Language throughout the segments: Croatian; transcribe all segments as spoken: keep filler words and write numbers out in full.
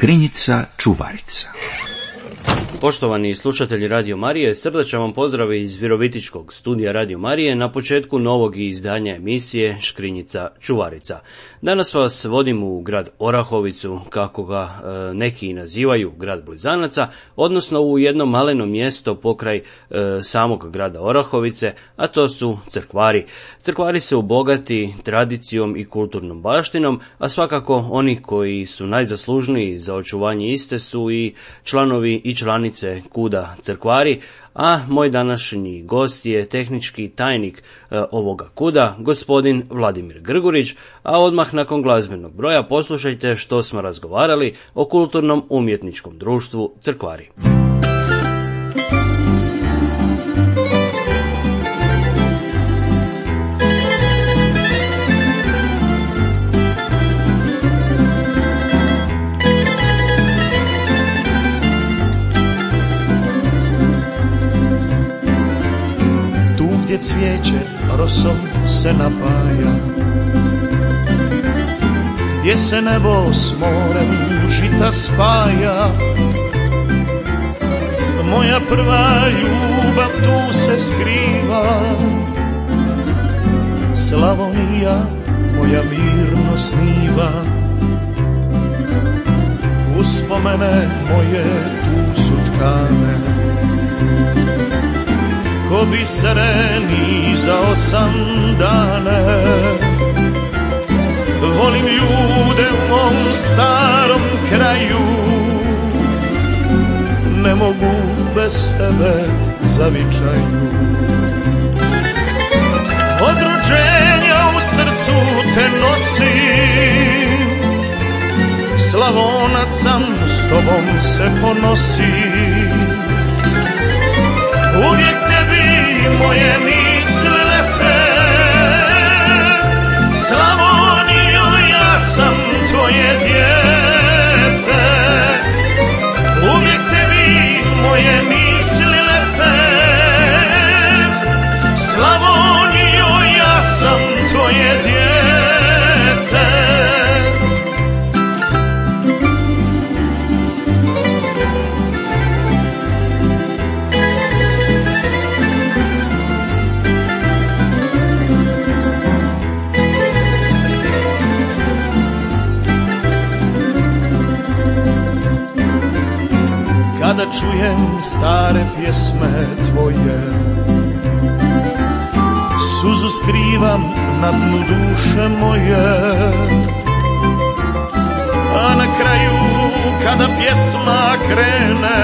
Škrinjica čuvarica. Poštovani slušatelji Radio Marije, srdačan vam pozdrav iz Virovitičkog studija Radio Marije na početku novog izdanja emisije Škrinjica čuvarica. Danas vas vodim u grad Orahovicu, kako ga e, neki nazivaju, grad blizanaca, odnosno u jedno maleno mjesto pokraj e, samog grada Orahovice, a to su Crkvari. Crkvari su bogati tradicijom i kulturnom baštinom, a svakako oni koji su najzaslužniji za očuvanje iste su i članovi i članice Kuda Crkvari, a moj današnji gost je tehnički tajnik e, ovoga kuda, gospodin Vladimir Grgurić, a odmah nakon glazbenog broja poslušajte što smo razgovarali o kulturnom umjetničkom društvu Crkvari. Gdje cvijeće rosom se napaja, gdje se nebo s morem žita spaja, moja prva ljubav tu se skriva. Slavonija moja mirno sniva, uspomene moje tu su tkane, ko biseri za osam dane. Volim ljude u mom starom kraju, ne mogu bez tebe zavičaju. Od rođenja u srcu te nosim, Slavonac sam, s tobom se ponosim. Uvijek tebi moje misle lete, Slavonijo, ja sam tvoje dijete. Uvijek tebi moje misle lete, Slavonijo, ja sam tvoje dijete. Kada čujem stare pjesme tvoje, suzu skrivam na dnu duše moje. A na kraju kada pjesma krene,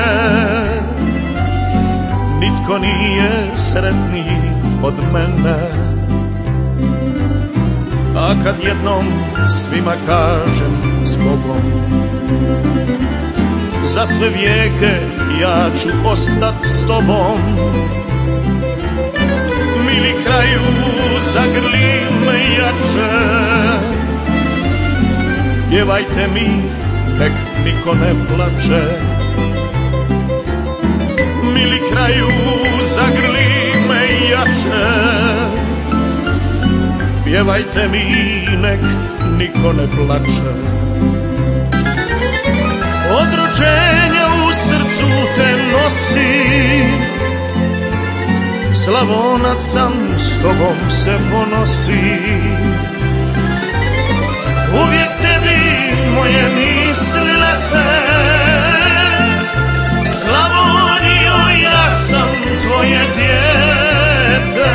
nitko nije sretniji od mene. A kad jednom svima kažem zbogom, za sve vijeke ja ću ostat s tobom, mili kraju zagrli me jače. Pjevajte mi, nek niko ne plače. Mili kraju zagrli me jače. Pjevajte mi, nek niko ne plače. Od rođenja u srcu te nosim, Slavonac sam, s tobom se ponosim. Uvijek tebi moje misli lete, Slavonijo, ja sam tvoje dijete.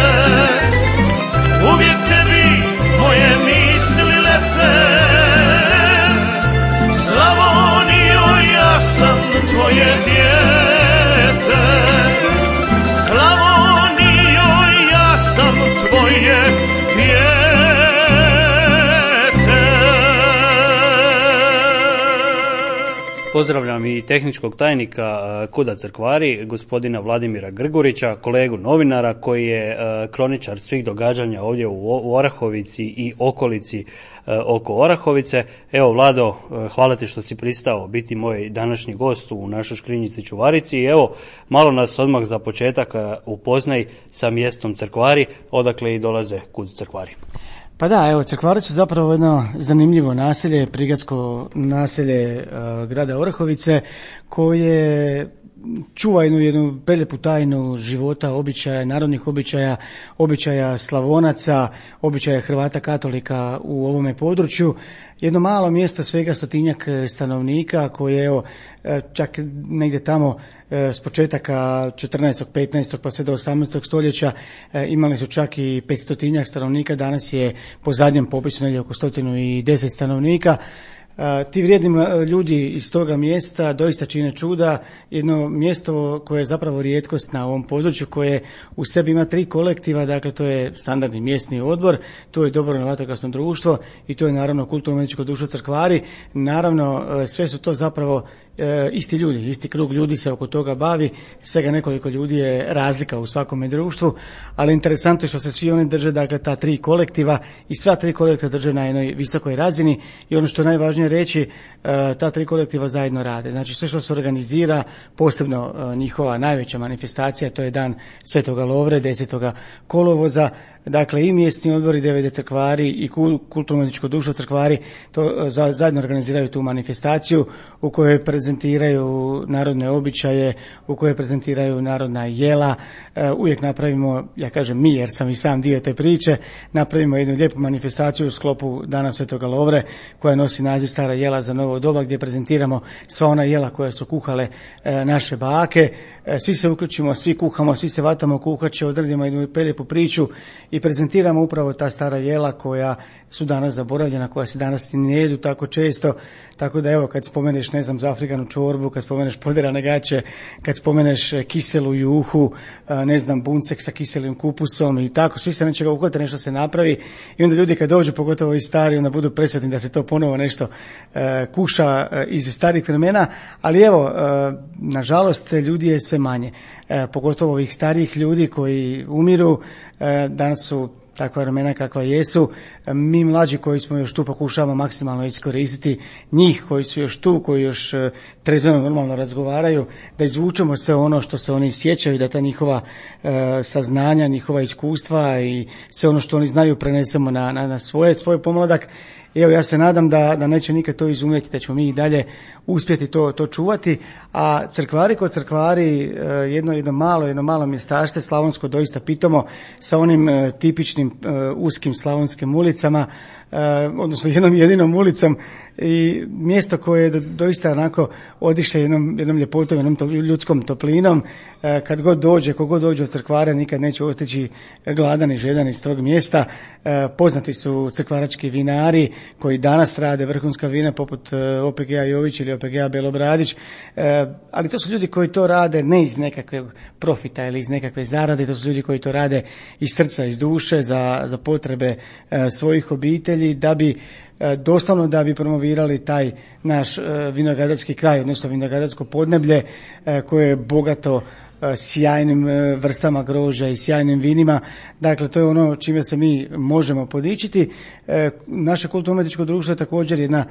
Uvijek tebi moje misli lete, Slavonijo, ja sam tvoje dijete. Slavonijo, ja sam tvoje dijete. Pozdravljam i tehničkog tajnika Kuda Crkvari, gospodina Vladimira Grgurića, kolegu novinara koji je kroničar svih događanja ovdje u Orahovici i okolici oko Orahovice. Evo, Vlado, hvala ti što si pristao biti moj današnji gost u našoj Škrinjici čuvarici. I evo, malo nas odmah za početak upoznaj sa mjestom Crkvari, odakle i dolaze Kud Crkvari. Pa da, evo, Crkvari su zapravo jedno zanimljivo naselje, prigradsko naselje uh, grada Orahovice, koje čuva jednu, jednu prelijepu tajnu života, običaja, narodnih običaja, običaja Slavonaca, običaja Hrvata katolika u ovome području. Jedno malo mjesto, svega stotinjak stanovnika, koje evo, čak negdje tamo s početaka četrnaestog, petnaestog pa sve do osamnaestog stoljeća imali su čak i petstotinjak stanovnika, danas je po zadnjem popisu negdje oko stotinu i deset stanovnika. Ti vrijedni ljudi iz toga mjesta doista čine čuda, jedno mjesto koje je zapravo rijetkost na ovom području, koje u sebi ima tri kolektiva, dakle to je standardni mjesni odbor, to je dobrovoljno vatrogasno društvo i to je naravno kulturno-umjetničko društvo Crkvari. Naravno sve su to zapravo e, isti ljudi, isti krug ljudi se oko toga bavi, svega nekoliko ljudi je razlika u svakome društvu, ali interesantno je što se svi oni drže, dakle ta tri kolektiva i sva tri kolektiva drže na jednoj visokoj razini i ono što je najvažnije reći, ta tri kolektiva zajedno rade. Znači sve što se organizira, posebno njihova najveća manifestacija, to je dan Svetoga Lovre, desetoga kolovoza, dakle i mjesni odbori D V D Crkvari i kulturno-umjetničko društvo Crkvari to zajedno organiziraju tu manifestaciju u kojoj prezentiraju narodne običaje, u kojoj prezentiraju narodna jela. Uvijek napravimo, ja kažem mi jer sam i sam dio te priče, napravimo jednu lijepu manifestaciju u sklopu Dana Svetoga Lovre koja nosi naziv Stara jela za novo doba, gdje prezentiramo sva ona jela koja su kuhale e, naše bake. E, svi se uključimo, svi kuhamo, svi se vatamo kuhače, odradimo jednu prelijepu priču i prezentiramo upravo ta stara jela koja su danas zaboravljena, koja se danas ne jedu tako često. Tako da evo, kad spomeneš, ne znam, za afrikanu čorbu, kad spomeneš poderane gaće, kad spomeneš kiselu juhu, ne znam, buncek sa kiselim kupusom i tako, svi se nečega uhvate, nešto se napravi i onda ljudi kad dođu, pogotovo i stari, onda budu presretni da se to ponovo nešto e, kuša e, iz starih vremena, ali evo, e, nažalost, ljudi je sve manje, e, pogotovo ovih starijih ljudi koji umiru, e, danas su takva vremena kakva jesu. Mi mlađi koji smo još tu pokušavamo maksimalno iskoristiti njih koji su još tu, koji još trezveno normalno razgovaraju, da izvučemo sve ono što se oni sjećaju, da ta njihova e, saznanja, njihova iskustva i sve ono što oni znaju prenesemo na, na, na svoje, svoj pomladak. Evo, ja se nadam da, da neće nikad to izumjeti, da ćemo mi i dalje uspjeti to, to čuvati, a Crkvari kod Crkvari, jedno, jedno malo, jedno malo mjestašte, slavonsko doista pitomo, sa onim uh, tipičnim uh, uskim slavonskim ulicama, uh, odnosno jednom jedinom ulicom i mjesto koje do, doista onako odiše jednom, jednom ljepotom, jednom to, ljudskom toplinom. Uh, kad god dođe, kogod dođe od Crkvara, nikad neće ostići gladan i žedan iz tog mjesta. Uh, poznati su crkvarački vinari koji danas rade vrhunska vina poput O P G-a Jović ili O P G-a Belobradić, e, ali to su ljudi koji to rade ne iz nekakvog profita ili iz nekakve zarade, to su ljudi koji to rade iz srca, iz duše, za, za potrebe e, svojih obitelji, da bi e, doslovno da bi promovirali taj naš e, vinogradarski kraj, odnosno vinogradarsko podneblje e, koje je bogato sjajnim vrstama grožđa i sjajnim vinima. Dakle, to je ono čime se mi možemo podičiti. Naše kulturno-umjetničko društvo je također jedna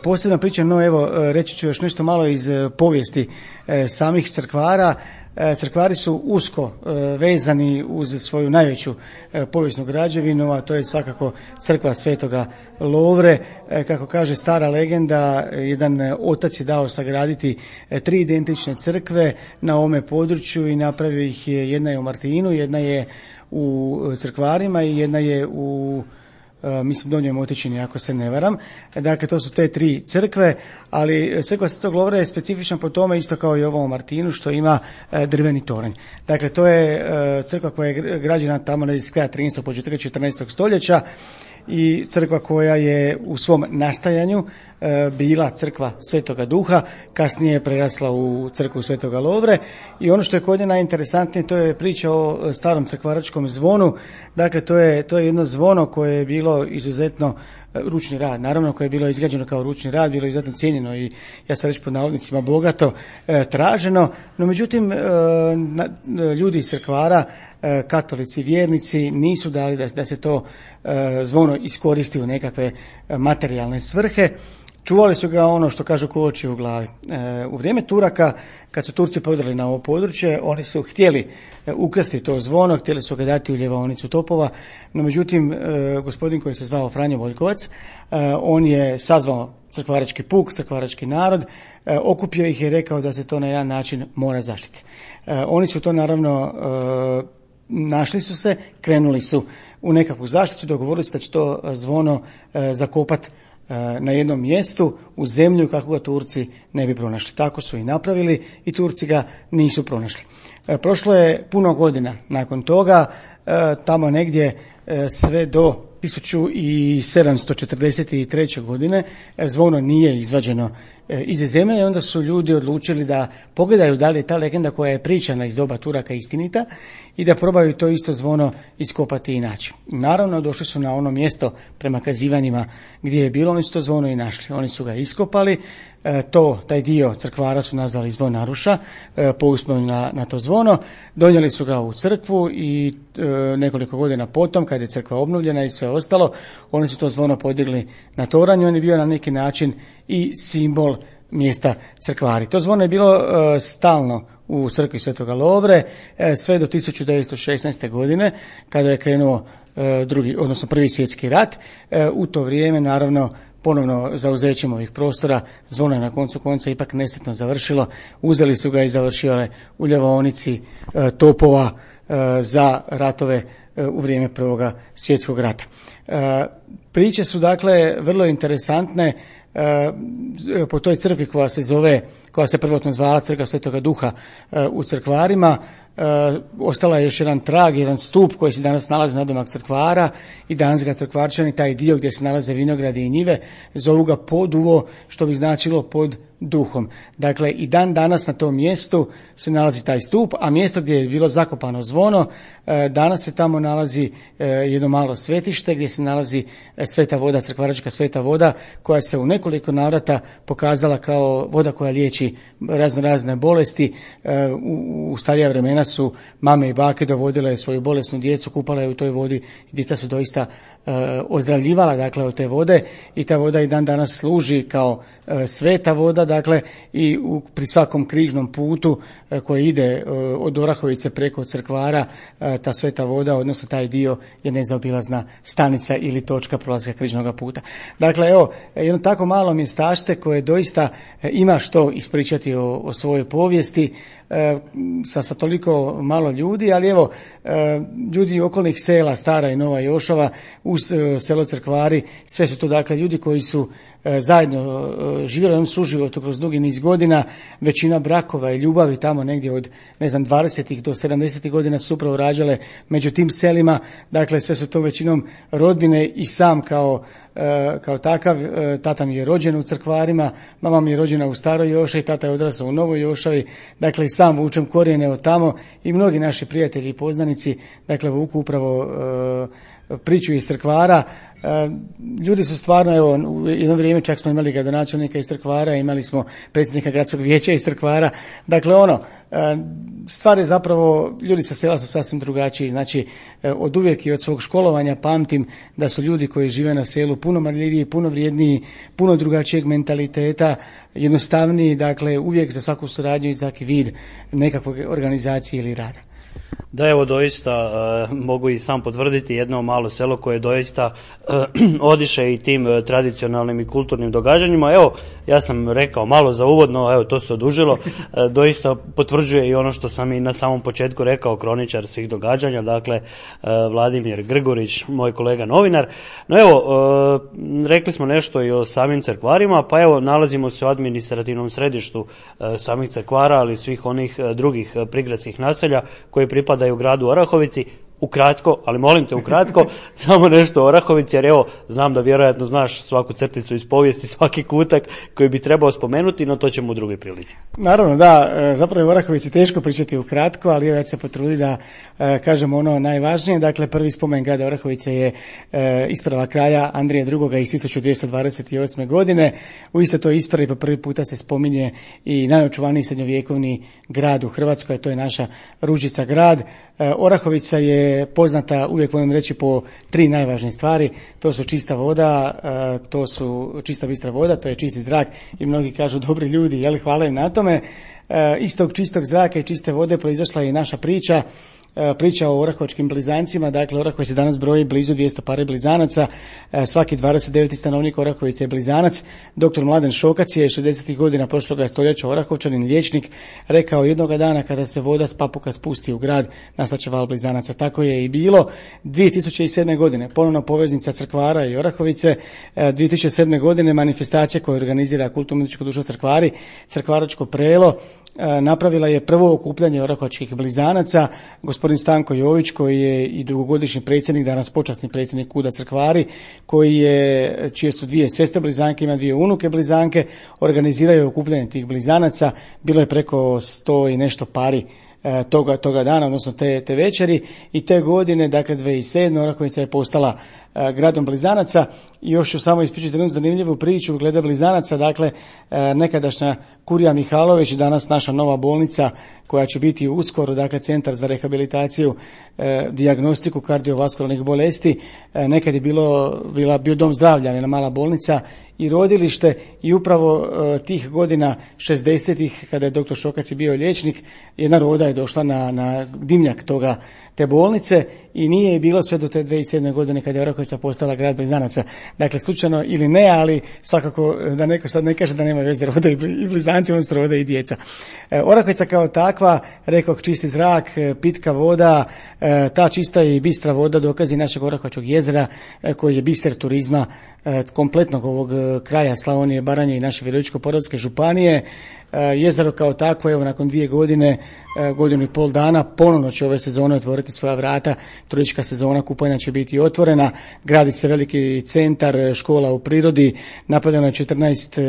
posebna priča, no evo, reći ću još nešto malo iz povijesti samih Crkvara. Crkvari su usko vezani uz svoju najveću povijesnu građevinu, a to je svakako crkva Svetoga Lovre. Kako kaže stara legenda, jedan otac je dao sagraditi tri identične crkve na ovome području i napravio ih je, jedna je u Martinu, jedna je u Crkvarima i jedna je u Uh, mislim Donjoj Motičini, ako se ne varam. Dakle, to su te tri crkve, ali crkva Svetog Lovre je specifična po tome, isto kao i ovo u Martinu, što ima uh, drveni toranj. Dakle, to je uh, crkva koja je građena tamo na kraja trinaestog početka četrnaestog stoljeća i crkva koja je u svom nastajanju e, bila crkva Svetoga Duha, kasnije je prerasla u crkvu Svetoga Lovre i ono što je kod nje najinteresantnije, to je priča o starom crkvaračkom zvonu. Dakle, to je, to je jedno zvono koje je bilo izuzetno ručni rad, naravno koje je bilo izgrađeno kao ručni rad, bilo je izuzetno cijenjeno i ja sam reći pod navodnicima bogato e, traženo, no međutim e, na, ljudi iz Crkvara, e, katolici, vjernici nisu dali da, da se to e, zvono iskoristi u nekakve materijalne svrhe. čuvali su ga ono što kažu ko oči u glavi. E, u vrijeme Turaka, kad su Turci podrali na ovo područje, oni su htjeli ukrasti to zvono, htjeli su ga dati u ljevaonicu topova, no međutim, e, gospodin koji se zvao Franjo Voljkovac, e, on je sazvao crkvarački puk, crkvarački narod, e, okupio ih i rekao da se to na jedan način mora zaštiti. E, oni su to naravno e, našli su se, krenuli su u nekakvu zaštitu, dogovorili su da će to zvono e, zakopati na jednom mjestu u zemlju kako ga Turci ne bi pronašli. Tako su i napravili i Turci ga nisu pronašli. Prošlo je puno godina nakon toga, tamo negdje sve do tisuću sedamsto četrdeset treće. godine zvono nije izvađeno iz zemlje i onda su ljudi odlučili da pogledaju da li je ta legenda koja je pričana iz doba Turaka istinita i da probaju to isto zvono iskopati i naći. Naravno, došli su na ono mjesto prema kazivanjima gdje je bilo, oni su to zvono i našli. Oni su ga iskopali, to, taj dio crkvara su nazvali zvonaruša, po uspomenu na, na to zvono, donijeli su ga u crkvu i e, nekoliko godina potom, kad je crkva obnovljena i sve ostalo, oni su to zvono podigli na toranj, on je bio na neki način i simbol mjesta crkvari. To zvono je bilo e, stalno u crkvi Svetoga Lovre e, sve do tisuću devetsto šesnaeste. godine, kada je krenuo e, drugi, odnosno prvi svjetski rat. E, u to vrijeme, naravno, ponovno zauzećem ovih prostora, zvono je na koncu konca ipak nesretno završilo. Uzeli su ga i završio je u ljevaonici e, topova e, za ratove e, u vrijeme Prvoga svjetskog rata. E, priče su dakle vrlo interesantne. E, po toj crkvi koja se zove, koja se prvotno zvala Crkva Svetoga Duha e, u Crkvarima, e, ostala je još jedan trag, jedan stup koji se danas nalazi na domak crkvara i danas ga crkvarčani, taj dio gdje se nalaze vinogradi i njive, zovu ga Poduvo, što bi značilo pod duhom. Dakle, i dan danas na tom mjestu se nalazi taj stup, a mjesto gdje je bilo zakopano zvono, e, danas se tamo nalazi e, jedno malo svetište gdje se nalazi e, sveta voda, crkvaračka sveta voda, koja se u nekoliko navrata pokazala kao voda koja liječi razno razne bolesti. E, u, u starija vremena su mame i bake dovodile svoju bolesnu djecu, kupale je u toj vodi i djeca su doista e, ozdravljivala dakle od te vode i ta voda i dan danas služi kao e, sveta voda, dakle i u, pri svakom križnom putu e, koji ide e, od Orahovice preko Crkvara, e, ta sveta voda, odnosno taj dio je nezaobilazna stanica ili točka prolaska križnog puta. Dakle, evo, jedno tako malo mjestašce koje doista e, ima što ispričati o, o svojoj povijesti, e, sa, sa toliko malo ljudi, ali evo, e, ljudi okolnih sela, Stara i Nova Jošava, uz e, selo Crkvari, sve su to dakle ljudi koji su e, zajedno e, živjeli u ovom suživotu kroz dugi niz godina, većina brakova i ljubavi tamo negdje od, ne znam, dvadesetih do sedamdesetih godina su upravo rađale među tim selima, dakle sve su to većinom rodbine i sam kao kao takav, tata mi je rođen u Crkvarima, mama mi je rođena u Staroj Jošavi, tata je odrasao u Novoj Jošavi, dakle i sam vučem korijene od tamo i mnogi naši prijatelji i poznanici, dakle vuku upravo e, priču iz Crkvara. E, ljudi su stvarno, evo, u jedno vrijeme čak smo imali gradonačelnika iz Crkvara, imali smo predsjednika gradskog vijeća iz Crkvara, dakle ono, e, stvar je zapravo, ljudi sa sela su sasvim drugačiji, znači e, od uvijek i od svog školovanja pamtim da su ljudi koji žive na selu puno marljiviji, puno vrijedniji, puno drugačijeg mentaliteta, jednostavniji, dakle uvijek za svaku suradnju i svaki vid nekakvog organizacije ili rada. Da, evo doista e, mogu i sam potvrditi jedno malo selo koje doista e, odiše i tim e, tradicionalnim i kulturnim događanjima. Evo, ja sam rekao malo za uvodno, evo to se odužilo, e, doista potvrđuje i ono što sam i na samom početku rekao, kroničar svih događanja, dakle e, Vladimir Grgurić, moj kolega novinar. No evo, e, rekli smo nešto i o samim Crkvarima, pa evo nalazimo se u administrativnom središtu e, samih Crkvara, ali i svih onih e, drugih e, prigradskih naselja koji pripadaju u gradu Orahovici. Ukratko, ali molim te ukratko, samo nešto o Orahovici, jer evo, znam da vjerojatno znaš svaku crticu iz povijesti, svaki kutak koji bi trebao spomenuti, no to ćemo u drugoj prilici. Naravno, da, zapravo je o Orahovici teško pričati ukratko, ali ja ću se potruditi da e, kažem ono najvažnije. Dakle, prvi spomen grada Orahovice je e, isprava kralja Andrije drugoga iz tisuću dvjesto dvadeset osme. godine. U istoj toj ispravi po prvi puta se spominje i najočuvaniji srednjovjekovni grad u Hrvatskoj, to je naša Ružica grad. E, Orahovica je je poznata, uvijek volim reći, po tri najvažnije stvari. To su čista voda, to su čista bistra voda, to je čisti zrak i mnogi kažu dobri ljudi, jel, hvala im na tome. Iz tog čistog zraka i čiste vode proizašla je i naša priča. Priča o orahovačkim blizancima. Dakle, Orahovica danas broji blizu dvjesto pare blizanaca, svaki dvadeset deveti stanovnik Orahovice je blizanac. Doktor Mladen Šokac je šezdesetih godina prošloga stoljeća Orahovčanin, liječnik, rekao jednoga dana kada se voda s Papuka spusti u grad, nastaće val blizanaca. Tako je i bilo. dvije tisuće sedme godine ponovno poveznica Crkvara i Orahovice. dvije tisuće sedme godine manifestacija koju organizira kulturno-umjetničko društvo Crkvari, Crkvaračko prelo, napravila je prvo okupljanje orahovačkih blizanaca. Gospodin Stanko Jović, koji je i dugogodišnji predsjednik, danas počasni predsjednik Kuda Crkvari, koji je, čije su dvije sestre blizanke, ima dvije unuke blizanke, organiziraju okupljanje tih blizanaca. Bilo je preko sto i nešto pari toga, toga dana, odnosno te, te večeri, i te godine, dakle dvije tisuće sedme. Orahovica je postala uh, gradom blizanaca. I još ću samo ispričati jednu zanimljivu priču glede blizanaca. Dakle, uh, nekadašnja Kurija Mihalović, danas naša nova bolnica koja će biti uskoro, dakle centar za rehabilitaciju, uh, dijagnostiku kardiovaskularnih bolesti. Uh, nekad je bilo, bila bio dom zdravlja, jedna mala bolnica i rodilište, i upravo uh, tih godina šezdesetih, kada je doktor Šokac bio liječnik, jedna roda je došla na, na dimnjak toga, te bolnice, i nije je bilo sve do te dvije tisuće sedme godine kada je Orahovica postala grad blizanaca. Dakle, slučajno ili ne, ali svakako da neko sad ne kaže da nema veze, rode i blizanci, on se rode i djeca. E, Orahovica kao takva, rekoh, čisti zrak, pitka voda, e, ta čista i bistra voda dokazi našeg Orahovačkog jezera, e, koji je biser turizma e, kompletnog ovog kraja Slavonije, Baranje i naše Virovitičko-podravske županije. E, jezero kao takvo, evo, nakon dvije godine, e, godinu i pol dana, ponovno će ove sezone otvoriti svoja vrata. Turistička sezona kupanja će biti otvorena, gradi se veliki centar, škola u prirodi, napravljeno je četrnaest e,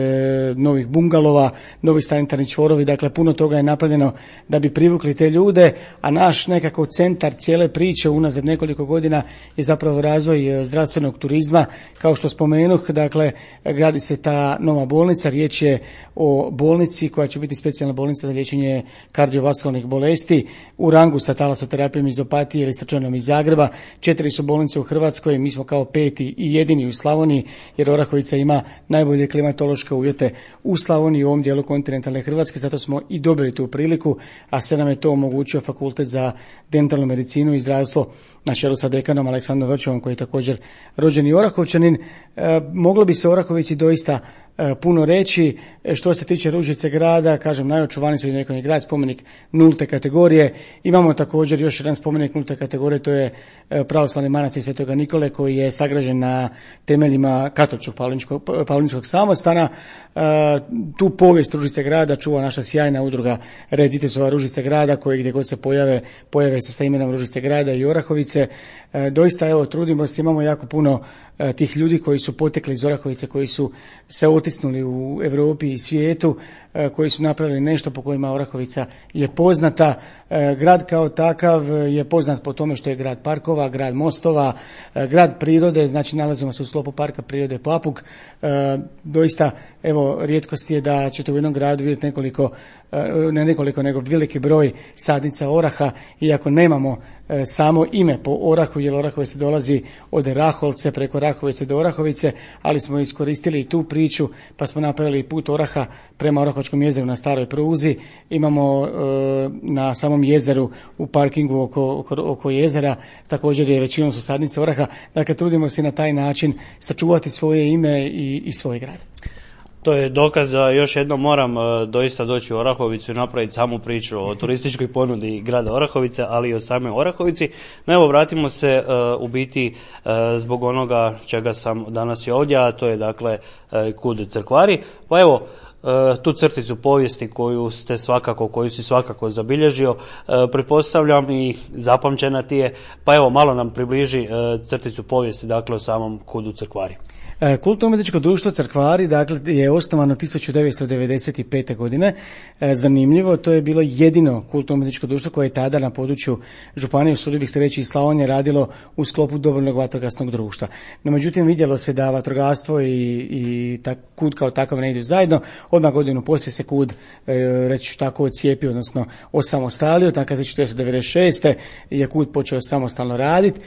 novih bungalova, novi sanitarni čvorovi, dakle puno toga je napravljeno da bi privukli te ljude, a naš nekako centar cijele priče unazad nekoliko godina je zapravo razvoj zdravstvenog turizma. Kao što spomenuh, dakle, gradi se ta nova bolnica, riječ je o bolnici koja će biti specijalna bolnica za liječenje kardiovaskularnih bolesti u rangu sa talasoterapijom iz Opatije ili srčanom iz Zagreba. Četiri su bolnice u Hrvatskoj, mi smo kao peti i jedini u Slavoniji, jer Orahovica ima najbolje klimatološke uvjete u Slavoniji, u ovom dijelu kontinentalne Hrvatske, zato smo i dobili tu priliku, a sve nam je to omogućio Fakultet za dentalnu medicinu i zdravstvo na čelu sa dekanom Aleksandrom Vrčevom, koji je također rođeni Orahovčanin. E, moglo bi se o Orahovici doista e, puno reći. E, što se tiče Ružice grada, kažem, najočuvaniji srednjovjekovni grad, spomenik nulte kategorije. Imamo također još jedan spomenik nulte kategorije, to je e, pravoslavni manastir Svetoga Nikole, koji je sagrađen na temeljima katoličkog paulinskog samostana. E, tu povijest Ružice grada čuva naša sjajna udruga Red Vitezova Ružice grada, koji gdje god se pojave, pojave se sa imenom Ružice grada i Orahovice. E, doista, evo, trudimo se, imamo jako puno e, tih ljudi koji su potekli iz Orahovice, koji su se otisnuli u Europi i svijetu, e, koji su napravili nešto po kojima Orahovica je poznata. E, grad kao takav je poznat po tome što je grad parkova, grad mostova, e, grad prirode, znači nalazimo se u sklopu Parka prirode Papuk. E, doista, evo, rijetkost je da ćete u jednom gradu vidjeti nekoliko, e, ne nekoliko, nego veliki broj sadnica oraha, iako nemamo e, samo ime po orahu, jer Orahovica dolazi od Raholce preko Rahovice do Orahovice, ali smo iskoristili i tu priču, pa smo napravili put oraha prema Orahovačkom jezeru na staroj pruzi. Imamo e, na samom jezeru u parkingu oko, oko, oko jezera, također je većinom su sadnice oraha. Dakle, trudimo se na taj način sačuvati svoje ime i, i svoj grad. To je dokaz da još jednom moram uh, doista doći u Orahovicu i napraviti samu priču o turističkoj ponudi grada Orahovice, ali i o same Orahovici. No evo, vratimo se uh, u biti uh, zbog onoga čega sam danas i ovdje, a to je dakle uh, Kud Crkvari. Pa evo, Uh, tu crticu povijesti koju ste svakako, koju si svakako zabilježio, uh, pretpostavljam i zapamćena ti je, pa evo malo nam približi uh, crticu povijesti, dakle o samom Kudu Crkvari. Kulturno-umjetničko društvo Crkvari dakle, je osnovano tisuću devetsto devedeset pete. godine. Zanimljivo, to je bilo jedino kulturno-umjetničko društvo koje je tada na području županije, usudio bih se reći i Slavonije, radilo u sklopu dobrovoljnog vatrogasnog društva. No, međutim, vidjelo se da vatrogastvo i, i ta, kud kao takav ne idu zajedno. Odmah godinu poslije se kud, reći ću tako, odcijepio, odnosno osamostalio. Dakle, tisuću devetsto devedeset šeste. je kud počeo samostalno raditi.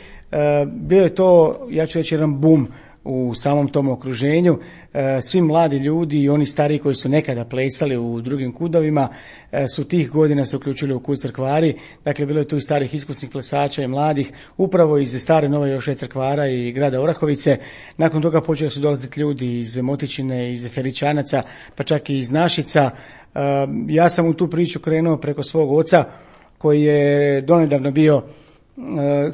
Bio je to, ja ću reći, jedan bum u samom tom okruženju. Svi mladi ljudi i oni stariji koji su nekada plesali u drugim kudovima su tih godina se uključili u kud Crkvari. Dakle, bilo je tu i starih iskusnih plesača i mladih, upravo iz stare Nove Joše Crkvara i grada Orahovice. Nakon toga počeli su dolaziti ljudi iz Motičine, iz Feričanaca, pa čak i iz Našica. Ja sam u tu priču krenuo preko svog oca koji je donedavno bio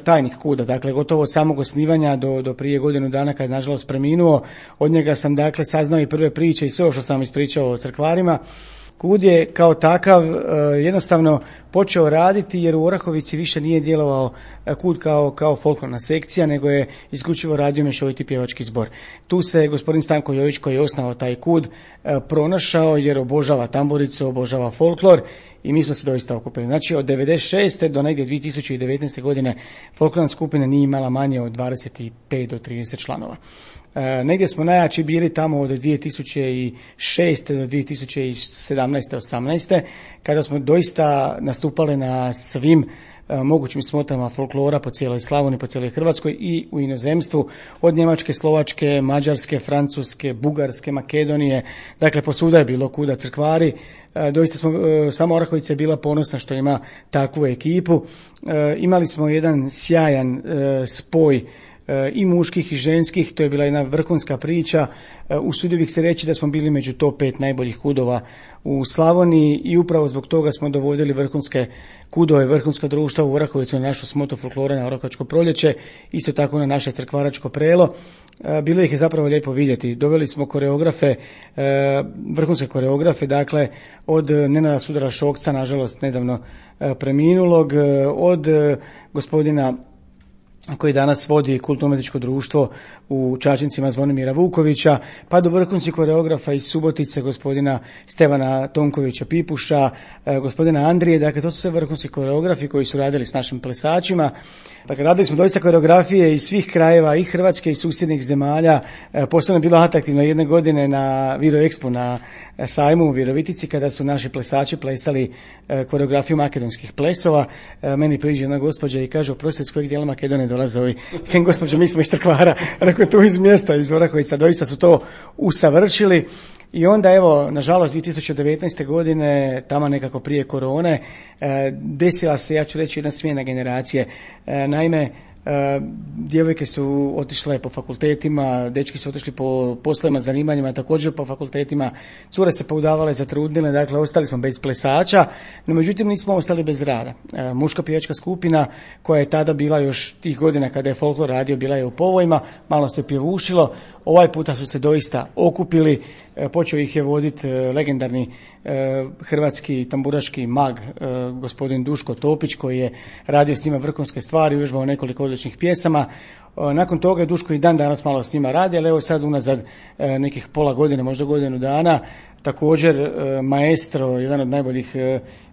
tajnik kuda, dakle gotovo od samog osnivanja do, do prije godinu dana kad je nažalost preminuo. Od njega sam dakle saznao i prve priče i sve što sam ispričao o Crkvarima. Kud je kao takav jednostavno počeo raditi jer u Orahovici više nije djelovao kud kao, kao folklorna sekcija, nego je isključivo radio mješoviti pjevački zbor. Tu se gospodin Stanko Jović, koji je osnovao taj kud, pronašao jer obožava tamburicu, obožava folklor i mi smo se doista okupili. Znači od devedeset šeste do negdje dvije tisuće devetnaeste. godine folklorna skupina nije imala manje od dvadeset pet do trideset članova. E, negdje smo najjači bili tamo od dvije tisuće šeste do dvije tisuće sedamnaeste osamnaeste. kada smo doista nastupali na svim e, mogućim smotrama folklora po cijeloj Slavoniji, po cijeloj Hrvatskoj i u inozemstvu, od Njemačke, Slovačke, Mađarske, Francuske, Bugarske, Makedonije, dakle posvuda je bilo kuda Crkvari. E, doista smo, e, sama Orahovica je bila ponosna što ima takvu ekipu. E, imali smo jedan sjajan e, spoj i muških i ženskih, to je bila jedna vrhunska priča. Usudio bih se reći da smo bili među top pet najboljih kudova u Slavoniji i upravo zbog toga smo dovodili vrhunske kudove, vrhunska društva u Orahovicu na našu smotu folklora na Orahovačko proljeće, isto tako na naše Crkvaračko prelo. Bilo ih je zapravo lijepo vidjeti. Doveli smo koreografe, vrhunske koreografe, dakle od Nenada Sudara Šokca, nažalost nedavno preminulog, od gospodina koji danas vodi kulturno-umjetničko društvo u Čačincima Zvonimira Vukovića, pa do vrhunskih koreografa iz Subotice, gospodina Stevana Tonkovića Pipuša, gospodina Andrije. Dakle, to su sve vrhunski koreografi koji su radili s našim plesačima. Dakle, radili smo doista koreografije iz svih krajeva, i Hrvatske i susjednih zemalja. Posebno je bilo atraktivno jedne godine na Viro Expo na sajmu u Virovitici, kada su naši plesači plesali koreografiju makedonskih plesova. Meni priđe jedna gospođa i kaže: oprostite, s kojeg dijela Makedonije dolaze ovi? Kažem: gospođo, mi smo iz Crkvara. Rekao: tu iz mjesta, iz Orahovica. Doista su to usavršili. I onda, evo, nažalost, dvije tisuće devetnaeste. godine, tamo nekako prije korone, desila se, ja ću reći, jedna smjena generacije. Naime, djevojke su otišle po fakultetima, dečki su otišli po poslovima, zanimanjima, također po fakultetima, cure se poudavale, zatrudnile, dakle ostali smo bez plesača, no međutim nismo ostali bez rada. Muška pjevačka skupina, koja je tada bila još tih godina kada je folklor radio, bila je u povojima, malo se pjevušilo. Ovaj puta su se doista okupili, počeo ih je voditi legendarni hrvatski tamburaški mag gospodin Duško Topić, koji je radio s njima vrhunske stvari, uvježbao nekoliko odličnih pjesama. Nakon toga je Duško i dan danas malo s njima radi, ali evo sad unazad nekih pola godine, možda godinu dana, također maestro, jedan od najboljih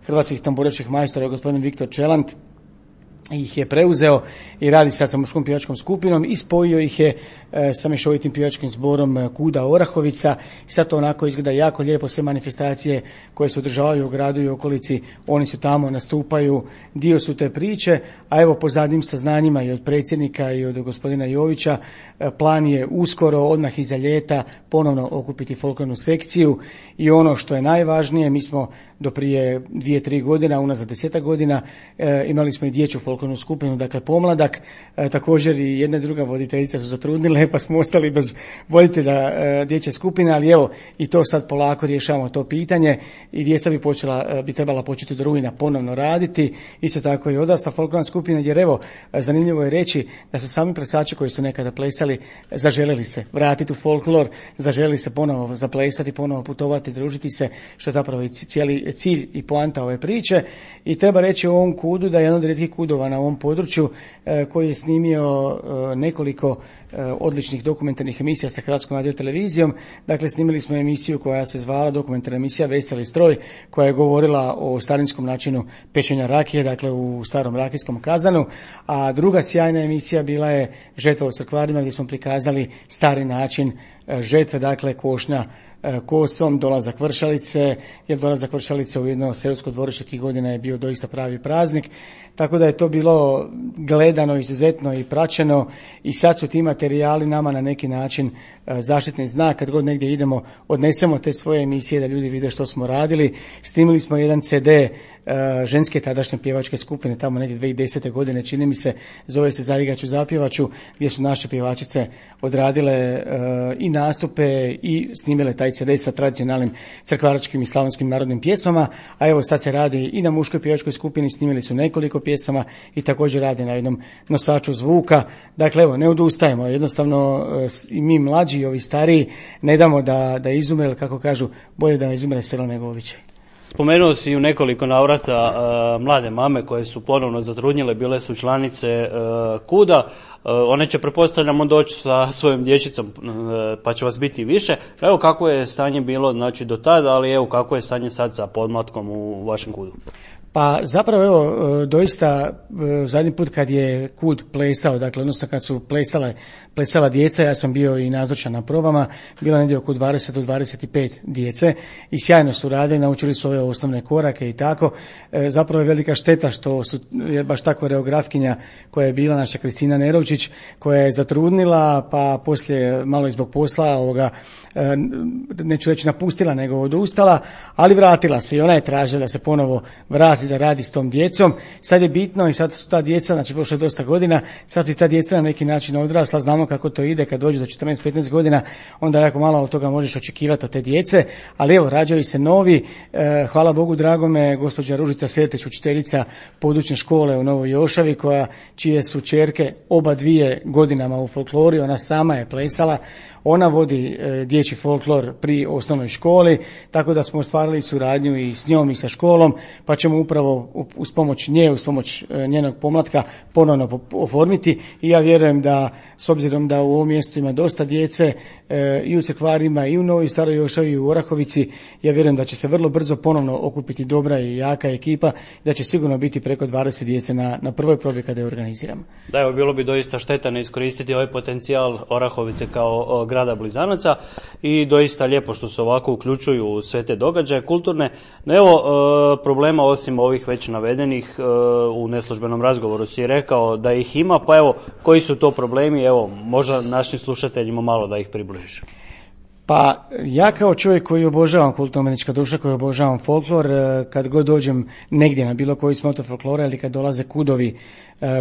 hrvatskih tamburaških majstora, gospodin Viktor Čelant, ih je preuzeo i radi sad sa muškom pjevačkom skupinom i spojio ih je e, sa mješovitim pjevačkim zborom Kuda Orahovica. I sad to onako izgleda jako lijepo, sve manifestacije koje se održavaju u gradu i okolici, oni su tamo, nastupaju, dio su te priče. A evo, po zadnjim saznanjima i od predsjednika i od gospodina Jovića, e, plan je uskoro, odmah iza ljeta, ponovno okupiti folklornu sekciju. I ono što je najvažnije, mi smo do prije dvije, tri godina, unazad desetak godina, e, imali smo i dječju folklornu skupinu, dakle pomladak, e, također i jedna i druga voditeljica su zatrudnile, pa smo ostali bez voditelja e, dječje skupine, ali evo, i to sad polako rješavamo to pitanje i djeca bi počela, e, bi trebala početi od rujna ponovno raditi, isto tako i odrasla folklorna skupina, jer evo, zanimljivo je reći da su sami plesači koji su nekada plesali zaželjeli se vratiti u folklor, zaželjeli se ponovo zaplesati, ponovo putovati, družiti se, što je zapravo i cijeli cilj i poanta ove priče. I treba reći o ovom kudu da je jedan od rijetkih kudova na ovom području e, koji je snimio e, nekoliko e, odličnih dokumentarnih emisija sa Hrvatskom radiotelevizijom. Dakle, snimili smo emisiju koja se zvala dokumentarna emisija Veseli stroj, koja je govorila o starinskom načinu pečenja rakije, dakle u starom rakijskom kazanu, a druga sjajna emisija bila je Žetva u crkvarima, gdje smo prikazali stari način žetve, dakle košnja kosom, dolazak vršalice, jer dolazak vršalice u jedno seosko dvorište tih godina je bio doista pravi praznik, tako da je to bilo gledano izuzetno i praćeno i sad su ti materijali nama na neki način zaštitni znak. Kad god negdje idemo, odnesemo te svoje emisije da ljudi vide što smo radili. Snimili smo jedan ce de ženske tadašnje pjevačke skupine, tamo negdje dvije tisuće desete. godine, čini mi se, zove se Zaigaću zapjevaću, gdje su naše pjevačice odradile i nastupe i snimile taj ce de sa tradicionalnim crkvaračkim i slavonskim narodnim pjesmama, a evo sad se radi i na muškoj pjevačkoj skupini, snimili su nekoliko pjesama i također radi na jednom nosaču zvuka. Dakle, evo, ne odustajemo, jednostavno i mi mlađi i ovi stariji ne damo da, da izumre, ili kako kažu, bolje da izumre selo nego običaj. Spomenuo si u nekoliko navrata uh, mlade mame koje su ponovno zatrudnjile, bile su članice uh, kuda. Uh, one će, pretpostavljamo, doći sa svojom dječicom, uh, pa će vas biti više. Evo kako je stanje bilo, znači, do tada, ali evo kako je stanje sad sa podmlatkom u vašem kudu. Pa zapravo evo, doista zadnji put kad je kud plesao, dakle odnosno kad su plesale, plesala djeca, ja sam bio i nazočan na probama, bilo negdje oko dvadeset do dvadeset pet djece i sjajno su radili, naučili su ove osnovne korake i tako. E, zapravo je velika šteta što su, je baš ta koreografkinja koja je bila naša Kristina Nerovčić, koja je zatrudnila, pa poslije malo i zbog posla ovoga, e, neću reći napustila, nego odustala, ali vratila se i ona je tražila da se ponovo vrati da radi s tom djecom. Sad je bitno i sad su ta djeca, znači prošlo je dosta godina, sad su i ta djeca na neki način odrasla, znamo kako to ide kad dođu do četrnaest petnaest godina, onda jako malo od toga možeš očekivati od te djece, ali evo, rađaju se novi, e, hvala Bogu dragome, gospođa Ružica Sreteć, učiteljica područne škole u Novoj Jošavi, koja, čije su ćerke oba dvije godinama u folklori, ona sama je plesala, ona vodi e, dječji folklor pri osnovnoj školi, tako da smo ostvarili suradnju i s njom i sa školom, pa ćemo upravo uz pomoć nje, uz pomoć e, njenog pomlatka ponovno oformiti i ja vjerujem da, s obzirom da u ovom mjestu ima dosta djece e, i u Crkvarima i u Novoj Staroj Jošavi i u Orahovici, ja vjerujem da će se vrlo brzo ponovno okupiti dobra i jaka ekipa, da će sigurno biti preko dvadeset djece na, na prvoj probi kada je organiziramo. Da, evo, bilo bi doista šteta ne iskoristiti ovaj potencijal Orahovice kao o, grada blizanaca i doista lijepo što se ovako uključuju u sve te događaje kulturne. No evo, e, problema osim ovih već navedenih, e, u neslužbenom razgovoru si rekao da ih ima, pa evo, koji su to problemi, evo, možda našim slušateljima malo da ih približiš. Pa ja kao čovjek koji obožavam kulturno-umjetnička društva, koji obožavam folklor, kad god dođem negdje na bilo koji smoto folklora ili kad dolaze kudovi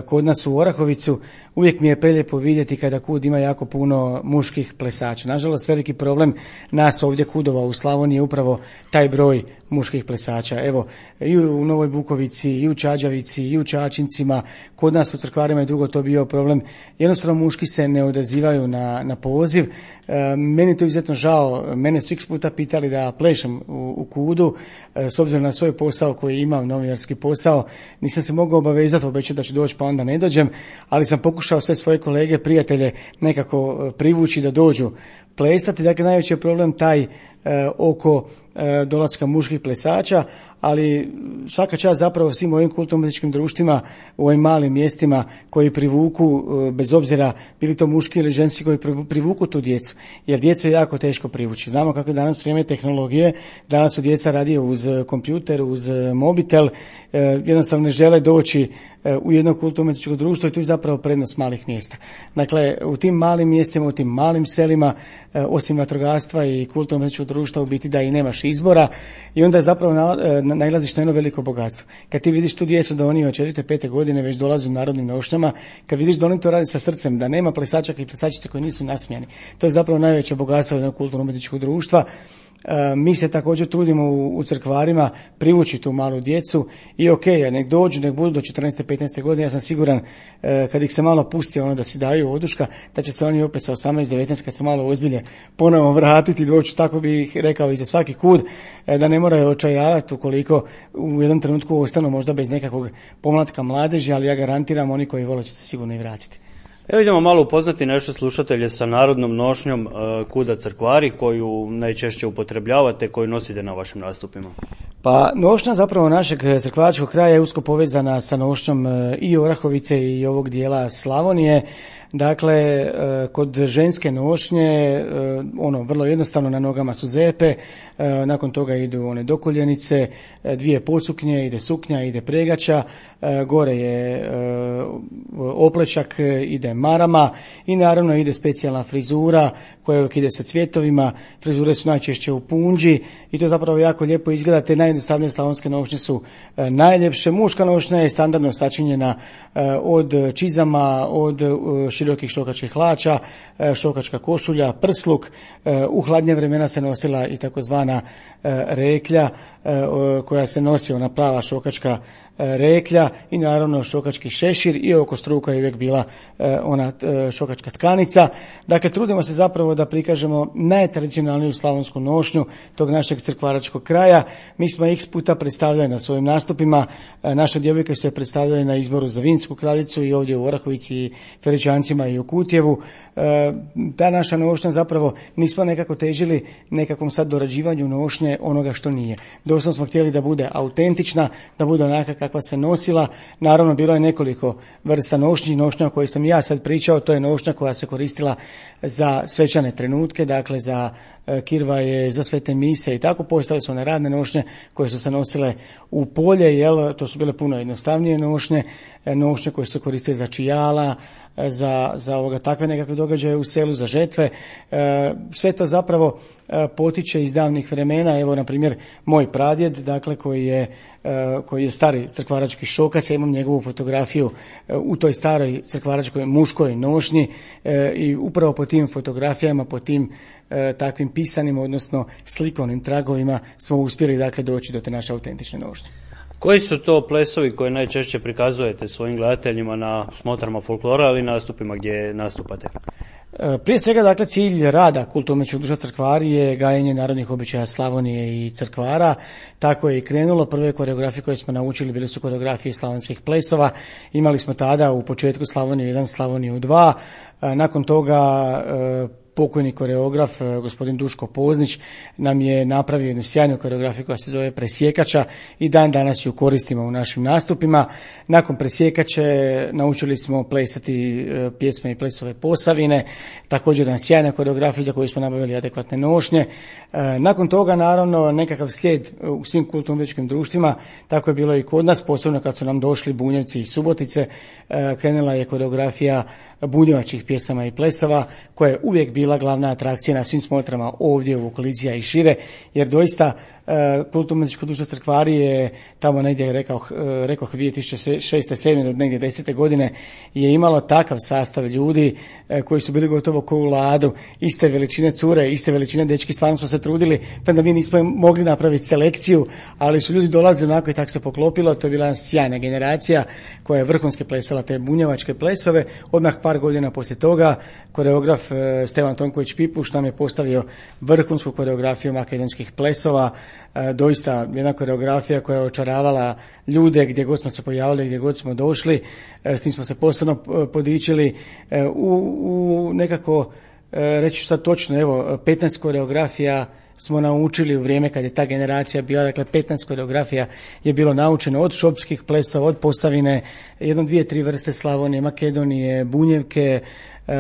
kod nas u Orahovicu, uvijek mi je prelijepo vidjeti kada kud ima jako puno muških plesača. Nažalost, veliki problem nas ovdje kudova u Slavoniji je upravo taj broj muških plesača. Evo, i u Novoj Bukovici, i u Čađavici, i u Čačincima, kod nas u Crkvarima je dugo to bio problem. Jednostavno muški se ne odazivaju na, na poziv. E, meni to izuzetno žao. Mene su x puta pitali da plešem u, u kudu, e, s obzirom na svoj posao koji imam, novinarski posao. Nisam se mogao obavezati, obećati da ću doći pa onda ne dođem, ali sam pokušao sve svoje kolege, prijatelje nekako privući da dođu plesati. Dakle, najveći je problem taj e, oko e, dolaska muških plesača, ali svaka čast zapravo svim ovim kulturno-umjetničkim društvima u ovim malim mjestima koji privuku, bez obzira bili to muški ili ženski, koji privuku tu djecu, jer djecu je jako teško privući. Znamo kako je danas vrijeme tehnologije, danas su djeca radi uz kompjuter, uz mobitel, jednostavno ne žele doći u jedno kulturno-umjetničko društvo i tu je zapravo prednost malih mjesta. Dakle, u tim malim mjestima, u tim malim selima, osim vatrogastva i kulturno-umjetničkog društva, u biti da i nemaš izbora i onda je zapravo nailaziš na jedno veliko bogatstvo. Kad ti vidiš tu djecu da oni od četvrte, pete godine već dolaze u narodnim nošnjama, kad vidiš da oni to radi sa srcem, da nema plesačaka i plesačice koji nisu nasmijani, to je zapravo najveće bogatstvo jednog kulturno-umjetničkog društva. Mi se također trudimo u, u Crkvarima privući tu malu djecu i ok, nek dođu, nek budu do četrnaeste, petnaeste godine, ja sam siguran kad ih se malo pusti ono da si daju oduška, da će se oni opet sa osamnaest, devetnaest kad se malo ozbilje ponovo vratiti, doći, tako bih rekao i za svaki kud, da ne moraju očajavati ukoliko u jednom trenutku ostanu možda bez nekakvog pomlatka mladeži, ali ja garantiram oni koji vole će se sigurno i vratiti. Evo idemo malo upoznati naše slušatelje sa narodnom nošnjom Kuda crkvari koju najčešće upotrebljavate, koju nosite na vašim nastupima. Pa nošnja zapravo našeg crkvaračkog kraja je usko povezana sa nošnjom i Orahovice i ovog dijela Slavonije. Dakle, kod ženske nošnje, ono, vrlo jednostavno, na nogama su zepe, nakon toga idu one dokuljenice, dvije pocuknje, ide suknja, ide pregača, gore je oplečak, ide marama i naravno ide specijalna frizura koja uvijek ide sa cvjetovima. Frizure su najčešće u punđi i to zapravo jako lijepo izgleda. Te najjednostavnije slavonske nošnje su najljepše. Muška nošnja je standardno sačinjena od čizama, od širokih šokačkih hlača, šokačka košulja, prsluk. U hladnje vremena se nosila i takozvana reklja koja se nosi, ona prava šokačka reklja i naravno šokački šešir i oko struka je uvijek bila ona šokačka tkanica. Dakle, trudimo se zapravo da prikažemo najtradicionalniju slavonsku nošnju tog našeg crkvaračkog kraja. Mi smo x puta predstavljali na svojim nastupima, naše djevojke su je predstavljali na izboru za Vinsku kraljicu i ovdje u Orahovici i Feričancima i u Kutjevu. Ta naša nošnja zapravo nismo nekako težili nekakvom sad dorađivanju nošnje onoga što nije. Doslovno smo htjeli da bude autentična, da bude onaka kakva se nosila. Naravno, bilo je nekoliko vrsta nošnji. Nošnja o kojoj sam ja sad pričao, to je nošnja koja se koristila za svečane trenutke, dakle za kirvaje, za svete mise i tako. Postale su one radne nošnje koje su se nosile u polje, jel, to su bile puno jednostavnije nošnje, nošnje koje se koriste za čijala, za, za ovoga, takve nekakve događaje u selu, za žetve. E, sve to zapravo e, potiče iz davnih vremena. Evo, na primjer, moj pradjed, dakle, koji je, e, koji je stari crkvarački šokac, ja imam njegovu fotografiju e, u toj staroj crkvaračkoj muškoj nošnji e, i upravo po tim fotografijama, po tim e, takvim pisanim, odnosno slikovnim tragovima smo uspjeli, dakle, doći do te naše autentične nošnje. Koji su to plesovi koje najčešće prikazujete svojim gledateljima na smotrama folklora ili nastupima gdje nastupate? Prije svega, dakle, cilj rada kulturno-umjetničkog društva Crkvari je gajenje narodnih običaja Slavonije i Crkvara. Tako je i krenulo. Prve koreografije koje smo naučili bili su koreografije slavonskih plesova. Imali smo tada u početku Slavoniju jedan, Slavoniju dva. Nakon toga pokojni koreograf, gospodin Duško Poznić, nam je napravio jednu sjajnu koreografiju koja se zove Presjekača i dan danas ju koristimo u našim nastupima. Nakon Presjekače naučili smo plesati pjesme i plesove Posavine, također jedna sjajna koreografija za koju smo nabavili adekvatne nošnje. Nakon toga, naravno, nekakav slijed u svim kulturno-umjetničkim društvima, tako je bilo i kod nas, posebno kad su nam došli Bunjevci i Subotice, krenula je koreografija bunjevačkih pjesama i plesova, koja je uvijek bila glavna atrakcija na svim smotrama ovdje u okolici, a i šire, jer doista kulturno-umjetničko društvo Crkvari je tamo negdje, rekao, rekao dvije tisuće šeste sedme do negdje desete godine je imalo takav sastav ljudi koji su bili gotovo ko u ladu, iste veličine cure, iste veličine dečki. Stvarno smo se trudili, pa da mi nismo mogli napraviti selekciju, ali su ljudi dolazili onako i tako se poklopilo. To je bila sjajna generacija koja je vrhunski plesala te bunjevačke plesove. Odmah par godina poslije toga koreograf Stevan Tonković Pipuš nam je postavio vrhunsku koreografiju makedonskih plesova. Doista jedna koreografija koja je očaravala ljude gdje god smo se pojavili, gdje god smo došli. S tim smo se posebno podičili u, u nekako, reći ću sad točno, evo, petnaest koreografija smo naučili u vrijeme kad je ta generacija bila, dakle petnaest koreografija je bilo naučeno od šopskih plesova, od Posavine, jedno, dvije, tri vrste Slavonije, Makedonije, Bunjevke. E,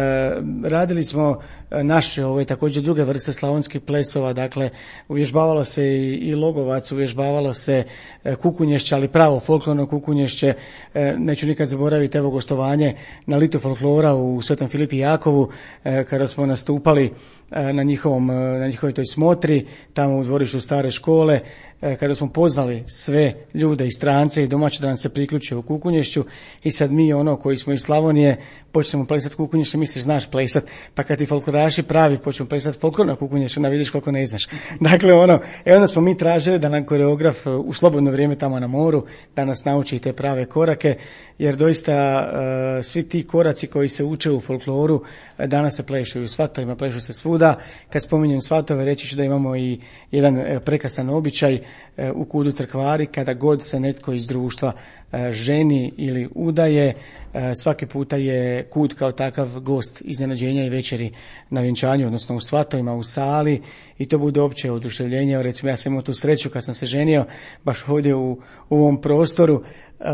radili smo naše ove također druge vrste slavonskih plesova, dakle uvježbavalo se i, i Logovac, uvježbavalo se e, kukunješće, ali pravo folklorno kukunješće. E, neću nikad zaboraviti evo gostovanje na Litu folklora u Svetom Filipi Jakovu, e, kada smo nastupali e, na njihovom, na njihovoj toj smotri tamo u dvorištu stare škole, e, kada smo pozvali sve ljude i strance i domaće da nam se priključe u kukunješću i sad mi ono koji smo iz Slavonije počnemo plesati kukunješće, misliš znaš plesat, pa kad ti folkloraši pravi počnu plesati folklorno kukunješće, onda vidiš koliko ne znaš. Dakle, ono, e onda smo mi tražili da nam koreograf u slobodno vrijeme tamo na moru, da nas nauči te prave korake jer doista uh, svi ti koraci koji se uče u folkloru danas se plešu i u svatovima, plešu se svuda. Kad spominjem svatove, reći ću da imamo i jedan uh, prekrasan običaj uh, u kudu Crkvari, kada god se netko iz društva uh, ženi ili udaje, uh, svaki puta je kud kao takav gost iznenađenja i večeri na vjenčanju, odnosno u svatovima, u sali, i to bude opće oduševljenje. Recimo, ja sam imao tu sreću kad sam se ženio baš ovdje u, u ovom prostoru. Uh,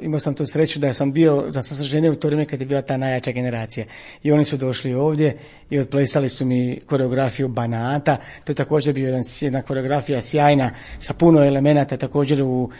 imao sam tu sreću da sam bio, da sam se ženio u to vrijeme kad je bila ta najjača generacija. I oni su došli ovdje i odplesali su mi koreografiju Banata. To je također bio jedan, jedna koreografija sjajna sa puno elemenata, također u uh,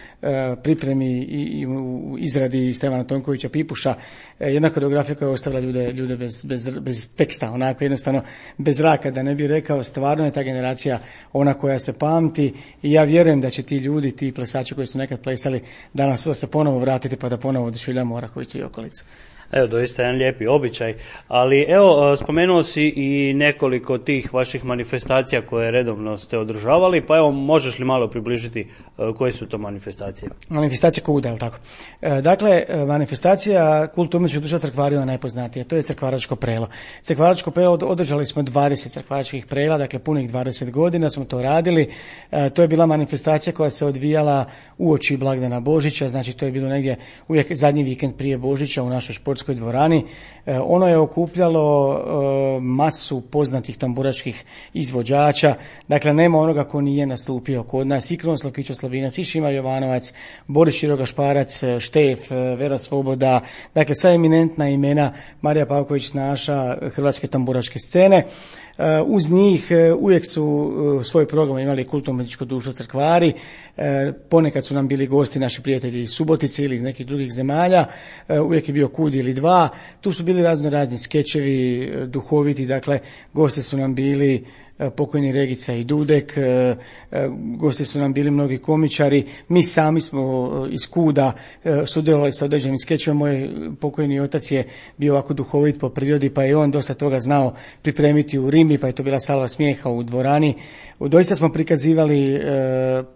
pripremi i, i u izradi Stevana Tonkovića Pipuša. Uh, jedna koreografija koja je ostavila ljude, ljude bez, bez, bez teksta, onako jednostavno bez zraka, da ne bi rekao. Stvarno je ta generacija ona koja se pamti i ja vjerujem da će ti ljudi, ti plesači koji su nekad plesali, danas se ponovo vratiti pa da ponovo oduševljamo Orahovicu i okolicu. Evo, doista jedan lijepi običaj, ali evo, spomenuo si i nekoliko tih vaših manifestacija koje redovno ste održavali, pa evo, možeš li malo približiti koje su to manifestacije? Manifestacija kuda, je li tako? Dakle, manifestacija kulturno-umjetničkog društva Crkvari je najpoznatija, to je Crkvaračko prelo. Crkvaračko prelo održali smo dvadeset crkvaračkih prela, dakle punih dvadeset godina smo to radili. To je bila manifestacija koja se odvijala uoči blagdana Božića, znači to je bilo negdje uvijek zadnji vikend prije Božića u našoj športskoj dvorani. Ono je okupljalo masu poznatih tamburačkih izvođača, dakle nema onoga ko nije nastupio kod nas, i Krunoslav Kićo-Slavinac, i Šima Jovanovac, Boris Široga-Šparac, Štef, Vera Svoboda, dakle sva eminentna imena, Marija Pavković naša hrvatske tamburačke scene. Uz njih uvijek su svoj program imali kulturno-umjetničko društvo Crkvari, ponekad su nam bili gosti naši prijatelji iz Subotice ili iz nekih drugih zemalja, uvijek je bio kud ili dva, tu su bili razno razni skečevi, duhoviti, dakle gosti su nam bili pokojni Regica i Dudek, gosti su nam bili mnogi komičari, mi sami smo iz kuda sudjelovali sa određenim skečevima. Moj pokojni otac je bio ovako duhovit po prirodi, pa je on dosta toga znao pripremiti u rimi, pa je to bila salva smijeha u dvorani. Doista smo prikazivali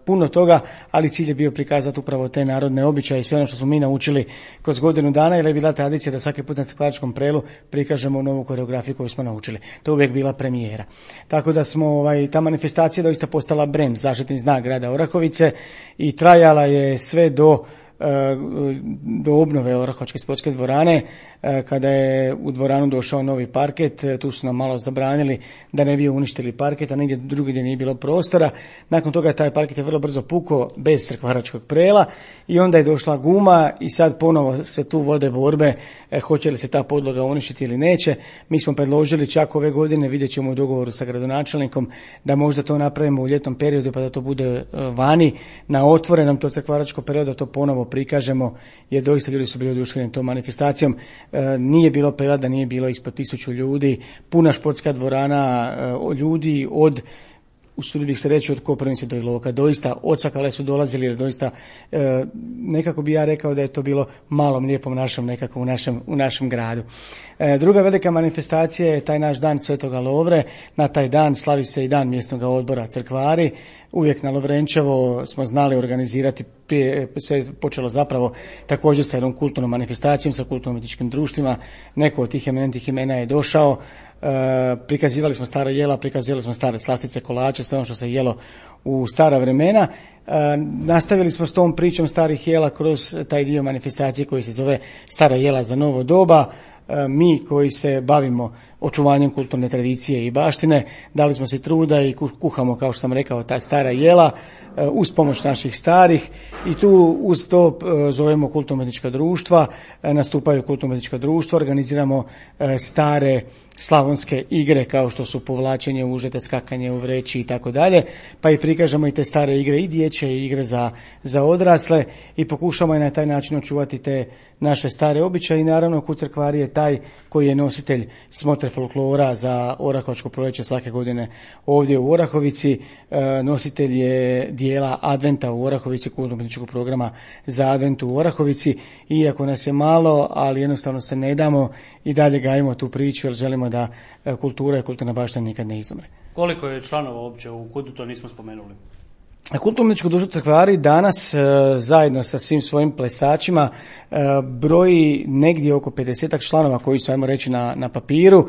puno toga, ali cilj je bio prikazati upravo te narodne običaje i sve ono što smo mi naučili kroz godinu dana, jer je bila tradicija da svaki put na Crkvaračkom prelu prikažemo novu koreografiju koju smo naučili. To je uvijek bila premijera. Tako da smo, ovaj, ta manifestacija doista postala brend, zaštitni znak grada Orahovice i trajala je sve do do obnove Orahovačke sportske dvorane, kada je u dvoranu došao novi parket. Tu su nam malo zabranili da ne bi uništili parket, a negdje drugdje gdje nije bilo prostora. Nakon toga taj parket je vrlo brzo pukao bez Crkvaračkog prela i onda je došla guma i sad ponovo se tu vode borbe, hoće li se ta podloga uništiti ili neće. Mi smo predložili čak ove godine, vidjet ćemo u dogovoru sa gradonačelnikom, da možda to napravimo u ljetnom periodu pa da to bude vani na otvorenom, to Crkvaračko prelo, da to ponovo prikažemo, jer doista ljudi su bili oduševljeni tom manifestacijom. E, nije bilo prelada, nije bilo ispod tisuću ljudi, puna športska dvorana, e, ljudi od, usudio bih se reći, od Koprivnice do Iloka, doista odsvakale su dolazili, jer doista e, nekako bi ja rekao da je to bilo malom lijepom našom nekako u našem, u našem gradu. E, druga velika manifestacija je taj naš dan Svetoga Lovre. Na taj dan slavi se i dan mjesnog odbora Crkvari. Uvijek na Lovrenčevo smo znali organizirati, prije, sve je počelo zapravo također sa jednom kulturnom manifestacijom, sa kulturno-umjetničkim društvima. Neko od tih eminentnih imena je došao. E, prikazivali smo stara jela, prikazivali smo stare slastice, kolače, sve ono što se jelo u stara vremena. E, nastavili smo s tom pričom starih jela kroz taj dio manifestacije koji se zove Stara jela za novo doba. E, mi koji se bavimo očuvanjem kulturne tradicije i baštine, dali smo se truda i kuhamo, kao što sam rekao, ta stara jela e, uz pomoć naših starih, i tu uz to e, zovemo kulturno-umjetnička društva, e, nastupaju kulturno-umjetnička društva, organiziramo e, stare slavonske igre kao što su povlačenje, užete, skakanje u vreći i tako dalje, pa i prikažemo i te stare igre, i dječje igre za, za odrasle, i pokušamo i na taj način očuvati te naše stare običaje. I naravno Kud Crkvari je taj koji je nositelj smotre folklora za Orahovačko proljeće svake godine ovdje u Orahovici. E, nositelj je dijela Adventa u Orahovici, kulturno-umjetničkog programa za Advent u Orahovici. Iako nas je malo, ali jednostavno se ne damo i dalje gajimo tu priču, jer želimo da kultura i kulturna baština nikad ne izumre. Koliko je članova uopće u Kudu, to nismo spomenuli? Kulturno-umjetničko društvo Crkvari danas e, zajedno sa svim svojim plesačima e, broji negdje oko pedesetak članova koji su, ajmo reći, na, na papiru. E,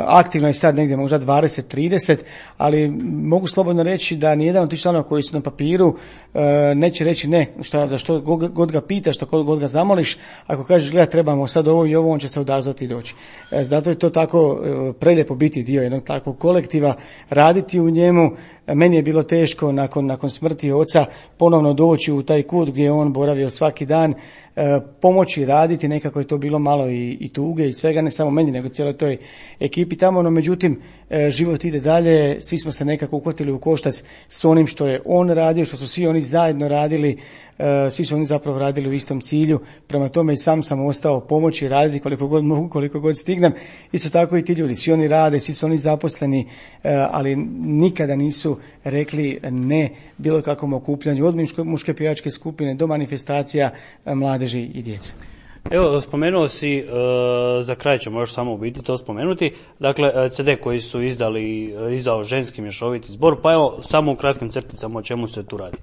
aktivno je sad negdje možda dvadeset trideset, ali mogu slobodno reći da nijedan od tih članova koji su na papiru e, neće reći ne, šta, za što god ga pitaš, što god ga zamoliš. Ako kažeš gleda trebamo sad ovo i ovo, on će se odazvati i doći. E, zato je to tako e, prelijepo biti dio jednog takvog kolektiva, raditi u njemu. Meni je bilo teško nakon, nakon smrti oca ponovno doći u taj kut gdje je on boravio svaki dan, e, pomoći raditi, nekako je to bilo malo i, i tuge i svega, ne samo meni nego cijeloj toj ekipi tamo, no međutim e, život ide dalje, svi smo se nekako uhvatili u koštac s onim što je on radio, što su svi oni zajedno radili, e, svi su oni zapravo radili u istom cilju, prema tome i sam sam ostao pomoći raditi koliko god mogu, koliko god stignem. Isto tako i ti ljudi, svi oni rade, svi su oni zaposleni, e, ali nikada nisu rekli ne bilo kakvom okupljanju, od muške pjevačke skupine do manifestacija mladeži i djece. Evo, spomenuo si, uh, za kraj ćemo još samo u biti to spomenuti, dakle, ce de koji su izdali, izdao ženski mješoviti zbor, pa evo, samo u kratkim crticama o čemu se tu radi.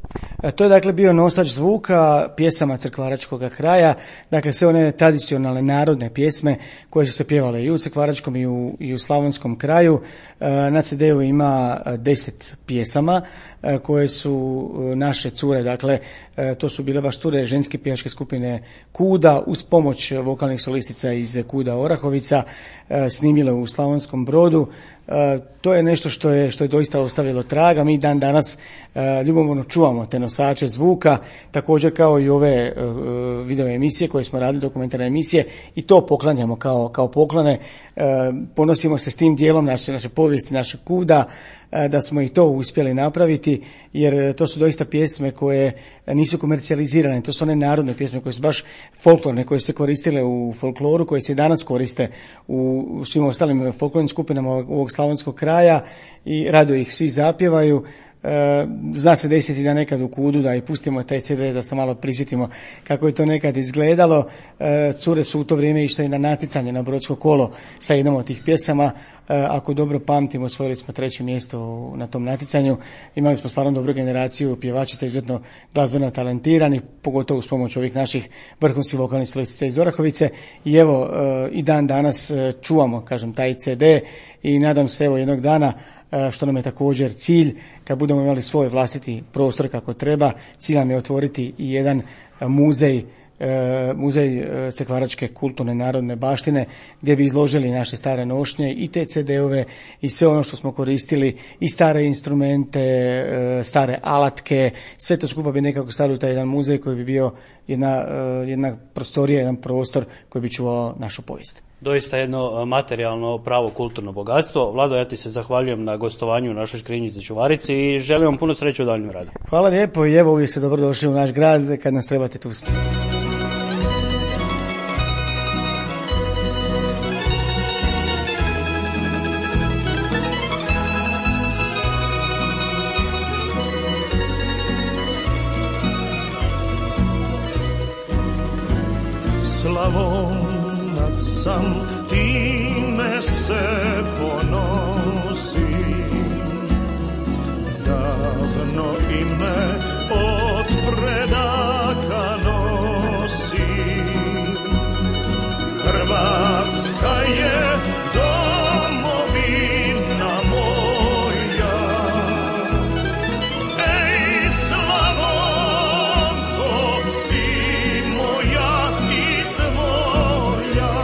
To je dakle bio nosač zvuka pjesama crkvaračkog kraja, dakle sve one tradicionalne narodne pjesme koje su se pjevale i u crkvaračkom i u, i u slavonskom kraju. Na ce de u ima deset pjesama koje su naše cure, dakle to su bile baš cure ženske pjevačke skupine Kuda uz pomoć vokalnih solistica iz Kuda Orahovica, snimile u Slavonskom Brodu. E, to je nešto što je, što je doista ostavilo traga. Mi dan danas e, ljubomorno čuvamo te nosače zvuka, također kao i ove e, video emisije koje smo radili, dokumentarne emisije, i to poklanjamo kao, kao poklone. E, ponosimo se s tim dijelom naše, naše povijesti, naše Kuda, e, da smo i to uspjeli napraviti, jer to su doista pjesme koje nisu komercijalizirane, to su one narodne pjesme koje su baš folklorne, koje su se koristile u folkloru, koje se i danas koriste u, u svim ostalim folklornim skupinama ovog slavonskog kraja i rado ih svi zapjevaju. E, zna se desiti da nekad u Kudu da i pustimo taj ce de da se malo prisjetimo kako je to nekad izgledalo. E, cure su u to vrijeme išle na natjecanje na Brodsko kolo sa jednom od tih pjesama. E, ako dobro pamtimo, osvojili smo treće mjesto na tom natjecanju. Imali smo stvarno dobru generaciju pjevačica izuzetno glazbeno talentiranih, pogotovo uz pomoć ovih naših vrhunskih vokalnih solistica iz Orahovice. I evo, e, i dan danas čuvamo, kažem, taj ce de i nadam se evo jednog dana, što nam je također cilj, kad budemo imali svoj vlastiti prostor kako treba, cilj nam je otvoriti i jedan muzej, muzej crkvaračke kulturne narodne baštine, gdje bi izložili naše stare nošnje i te ce de ove i sve ono što smo koristili, i stare instrumente, stare alatke, sve to skupa bi nekako stavili u taj jedan muzej koji bi bio jedna, jedna prostorija, jedan prostor koji bi čuvao našu povijest. Doista jedno materijalno pravo kulturno bogatstvo. Vlado, ja ti se zahvaljujem na gostovanju u našoj Škrinjici Čuvarici i želim vam puno sreće u daljnjem radu. Hvala lijepo i evo uvijek ste dobrodošli u naš grad kad nas trebate tu uspjeti. Slavonac sam, time se ponosim, davno ime od predaka nosim. Hrvatska je domovina moja, ej Slavonko i moja i tvoja.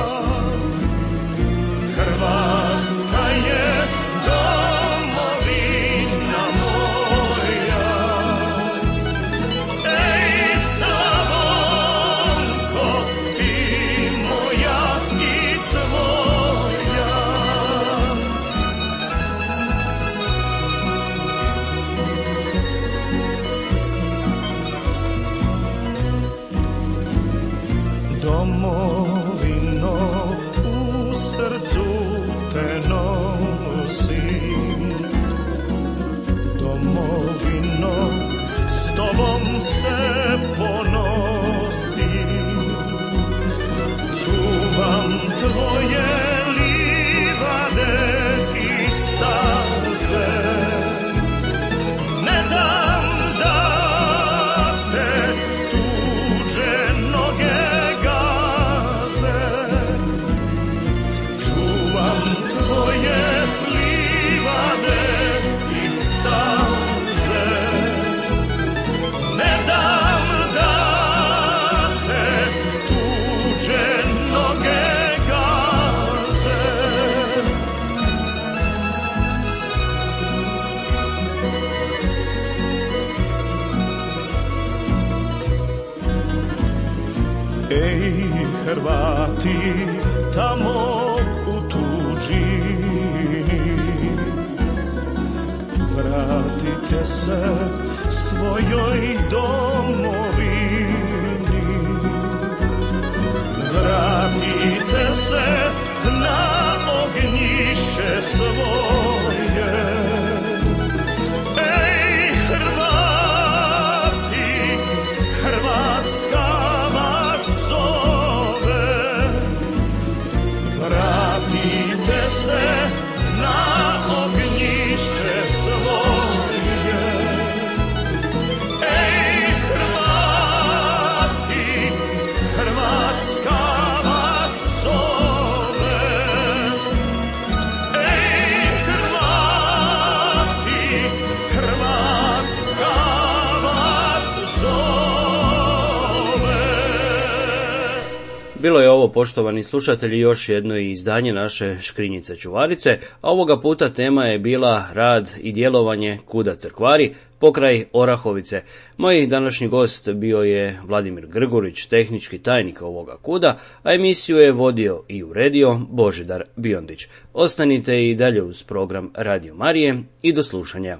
Hrvatska je domovina moja, Hrvati tamo u tuđi, vratite se svojoj domovini, vratite se na ognjište svoje. Ej Hrvati, Hrvatska vas zove, vratite se na ognjište svoje. Ej Hrvati, Hrvatska vas zove. Ej Hrvati, Hrvatska vas zove. Bilo je ovo, poštovani slušatelji, još jedno izdanje naše Škrinjice Čuvarice, a ovoga puta tema je bila rad i djelovanje KUD-a Crkvari pokraj Orahovice. Moj današnji gost bio je Vladimir Grgurić, tehnički tajnik ovoga KUD-a, a emisiju je vodio i uredio Božidar Biondić. Ostanite i dalje uz program Radio Marije i do slušanja.